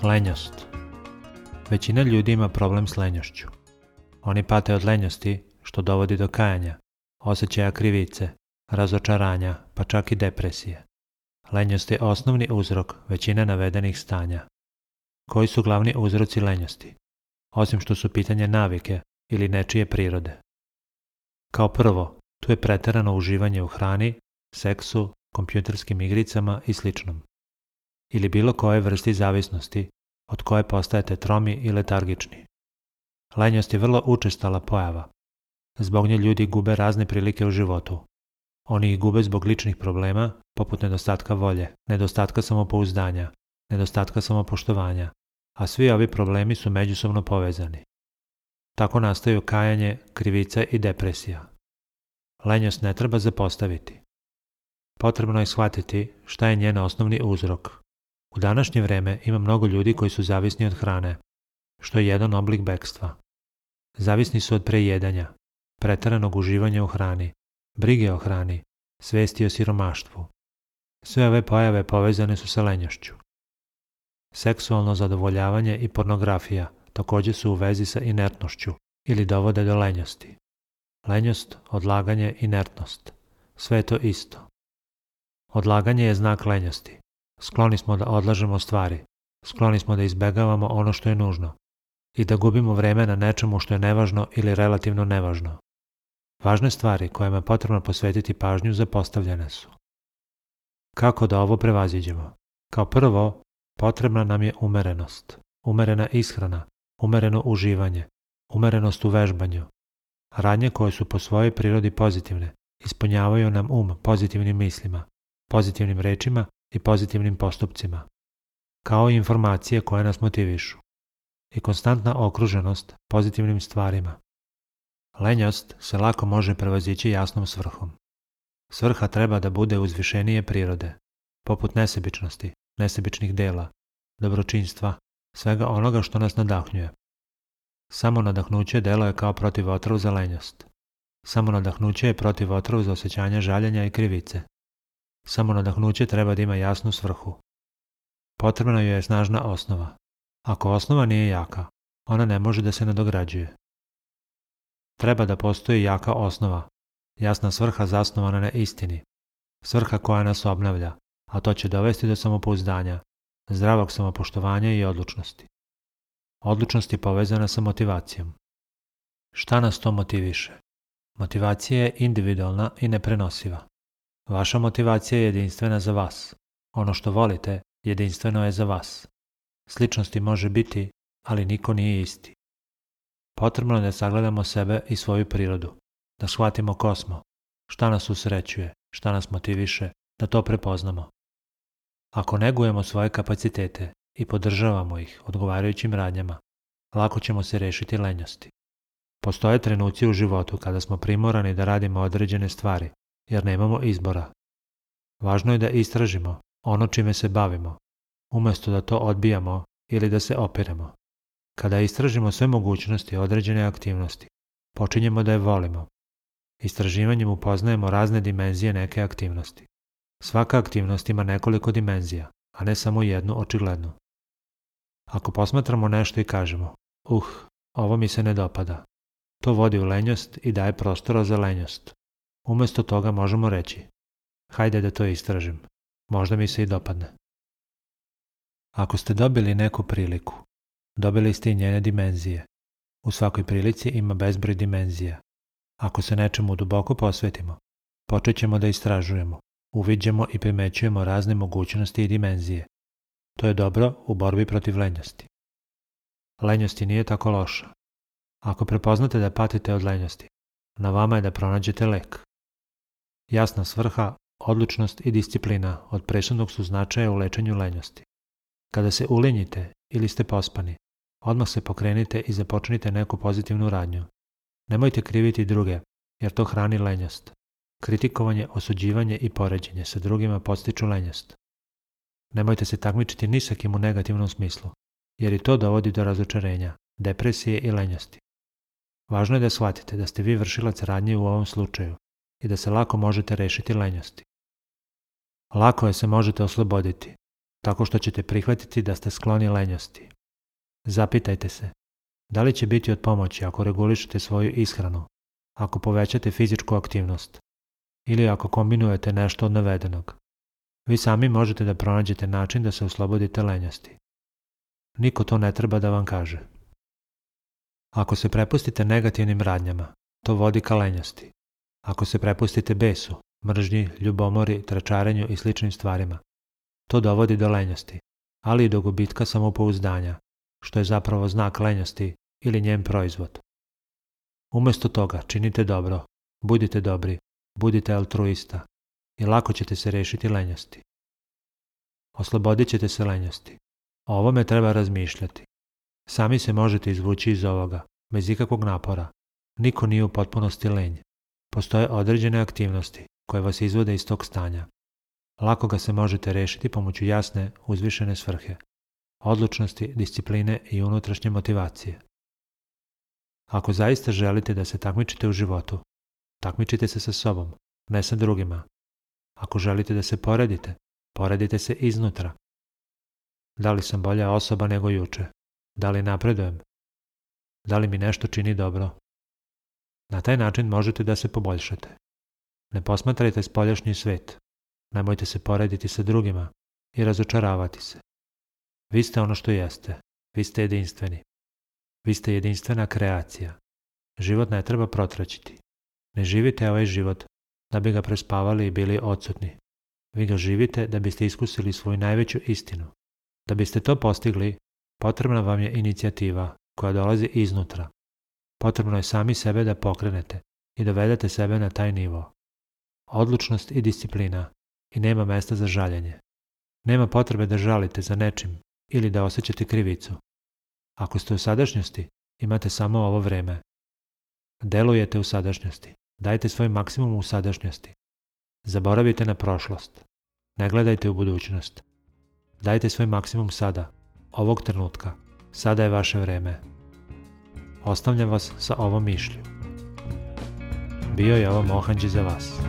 Lenjost. Većina ljudi ima problem s lenjošću. Oni pate od lenjosti, što dovodi do kajanja, osjećaja krivice, razočaranja, pa čak i depresije. Lenjost je osnovni uzrok većine navedenih stanja. Koji su glavni uzroci lenjosti, osim što su pitanje navike ili nečije prirode? Kao prvo, tu je preterano uživanje u hrani, seksu, kompjuterskim igricama i sl. Ili bilo koje vrsti zavisnosti od koje postajete tromi i letargični. Lenjost je vrlo učestala pojava. Zbog nje ljudi gube razne prilike u životu. Oni ih gube zbog ličnih problema, poput nedostatka volje, nedostatka samopouzdanja, nedostatka samopoštovanja, a svi ovi problemi su međusobno povezani. Tako nastaju kajanje, krivica i depresija. Lenjost ne treba zapostaviti. Potrebno je shvatiti šta je njen osnovni uzrok. U današnje vreme ima mnogo ljudi koji su zavisni od hrane, što je jedan oblik bekstva. Zavisni su od prejedanja, preteranog uživanja u hrani, brige o hrani, svesti o siromaštvu. Sve ove pojave povezane su sa lenjošću. Seksualno zadovoljavanje i pornografija također su u vezi sa inertnošću ili dovode do lenjosti. Lenjost, odlaganje, inertnost. Sve je to isto. Odlaganje je znak lenjosti. Skloni smo da odlažemo stvari, skloni smo da izbegavamo ono što je nužno i da gubimo vreme na nečemu što je nevažno ili relativno nevažno. Važne stvari kojima je potrebno posvetiti pažnju zapostavljene su. Kako da ovo prevaziđemo? Kao prvo, potrebna nam je umerenost, umerena ishrana, umereno uživanje, umerenost u vežbanju. Radnje koje su po svojoj prirodi pozitivne ispunjavaju nam pozitivnim mislima, pozitivnim rečima i pozitivnim postupcima, kao i informacije koje nas motivišu, i konstantna okruženost pozitivnim stvarima. Lenjost se lako može prevazići jasnom svrhom. Svrha treba da bude uzvišenije prirode, poput nesebičnosti, nesebičnih dela, dobročinstva, svega onoga što nas nadahnjuje. Samo nadahnuće delo je kao protivotrov za lenjost. Samo nadahnuće je protivotrov za osjećanje žaljenja i krivice. Samo nadahnuće treba da ima jasnu svrhu. Potrebna joj je snažna osnova. Ako osnova nije jaka, ona ne može da se nadograđuje. Treba da postoji jaka osnova, jasna svrha zasnovana na istini, svrha koja nas obnavlja, a to će dovesti do samopouzdanja, zdravog samopoštovanja i odlučnosti. Odlučnost je povezana sa motivacijom. Šta nas to motiviše? Motivacija je individualna i neprenosiva. Vaša motivacija je jedinstvena za vas. Ono što volite, jedinstveno je za vas. Sličnosti može biti, ali niko nije isti. Potrebno je da sagledamo sebe i svoju prirodu, da shvatimo ko smo, šta nas usrećuje, šta nas motiviše, da to prepoznamo. Ako negujemo svoje kapacitete i podržavamo ih odgovarajućim radnjama, lako ćemo se rešiti lenjosti. Postoje trenuci u životu kada smo primorani da radimo određene stvari, jer nemamo izbora. Važno je da istražimo ono čime se bavimo, umjesto da to odbijamo ili da se opiremo. Kada istražimo sve mogućnosti određene aktivnosti, počinjemo da je volimo. Istraživanjem upoznajemo razne dimenzije neke aktivnosti. Svaka aktivnost ima nekoliko dimenzija, a ne samo jednu očiglednu. Ako posmatramo nešto i kažemo, ovo mi se ne dopada, to vodi u lenjost i daje prostora za lenjost. Umjesto toga možemo reći, hajde da to istražim, možda mi se i dopadne. Ako ste dobili neku priliku, dobili ste i njene dimenzije. U svakoj prilici ima bezbroj dimenzija. Ako se nečemu duboko posvetimo, počet ćemo da istražujemo, uviđamo i primećujemo razne mogućnosti i dimenzije. To je dobro u borbi protiv lenjosti. Lenjosti nije tako loša. Ako prepoznate da patite od lenjosti, na vama je da pronađete lek. Jasna svrha, odlučnost i disciplina od presudnog su značaja u lečenju lenjosti. Kada se ulenjite ili ste pospani, odmah se pokrenite i započnite neku pozitivnu radnju. Nemojte kriviti druge, jer to hrani lenjost. Kritikovanje, osuđivanje i poređenje sa drugima podstiču lenjost. Nemojte se takmičiti ni sa kim u negativnom smislu, jer i to dovodi do razočarenja, depresije i lenjosti. Važno je da shvatite da ste vi vršilac radnje u ovom slučaju i da se lako možete rešiti lenjosti. Lako je se možete osloboditi. tako što ćete prihvatiti da ste skloni lenjosti. Zapitajte se, da li će biti od pomoći ako regulišete svoju ishranu, ako povećate fizičku aktivnost ili ako kombinujete nešto od navedenog. Vi sami možete da pronađete način da se oslobodite lenjosti. Niko to ne treba da vam kaže. Ako se prepustite negativnim radnjama, to vodi ka lenjosti. Ako se prepustite besu, mržnji, ljubomori, tračarenju i sličnim stvarima, to dovodi do lenjosti, ali i do gubitka samopouzdanja, što je zapravo znak lenjosti ili njen proizvod. Umesto toga činite dobro, budite dobri, budite altruista i lako ćete se rešiti lenjosti. Oslobodit ćete se lenjosti. O ovome treba razmišljati. Sami se možete izvući iz ovoga, bez ikakvog napora. Niko nije u potpunosti lenj. Postoje određene aktivnosti koje vas izvode iz tog stanja. Lako ga se možete rešiti pomoću jasne, uzvišene svrhe, odlučnosti, discipline i unutrašnje motivacije. Ako zaista želite da se takmičite u životu, takmičite se sa sobom, ne sa drugima. Ako želite da se poredite, poredite se iznutra. Da li sam bolja osoba nego juče? Da li napredujem? Da li mi nešto čini dobro? Na taj način možete da se poboljšate. Ne posmatrajte spoljašnji svet. Nemojte se porediti sa drugima i razočaravati se. Vi ste ono što jeste. Vi ste jedinstveni. Vi ste jedinstvena kreacija. Život ne treba protraćiti. Ne živite ovaj život da bi ga prespavali i bili odsutni. Vi ga živite da biste iskusili svoju najveću istinu. Da biste to postigli, potrebna vam je inicijativa koja dolazi iznutra. Potrebno je sami sebe da pokrenete i dovedete sebe na taj nivo. Odlučnost i disciplina i nema mesta za žaljenje. Nema potrebe da žalite za nečim ili da osjećate krivicu. Ako ste u sadašnjosti, imate samo ovo vreme. Delujete u sadašnjosti. Dajte svoj maksimum u sadašnjosti. Zaboravite na prošlost. Ne gledajte u budućnost. Dajte svoj maksimum sada, ovog trenutka. Sada je vaše vreme. Ostavljam vas sa ovom mišlju. Bio je ovo Mohanđi za vas.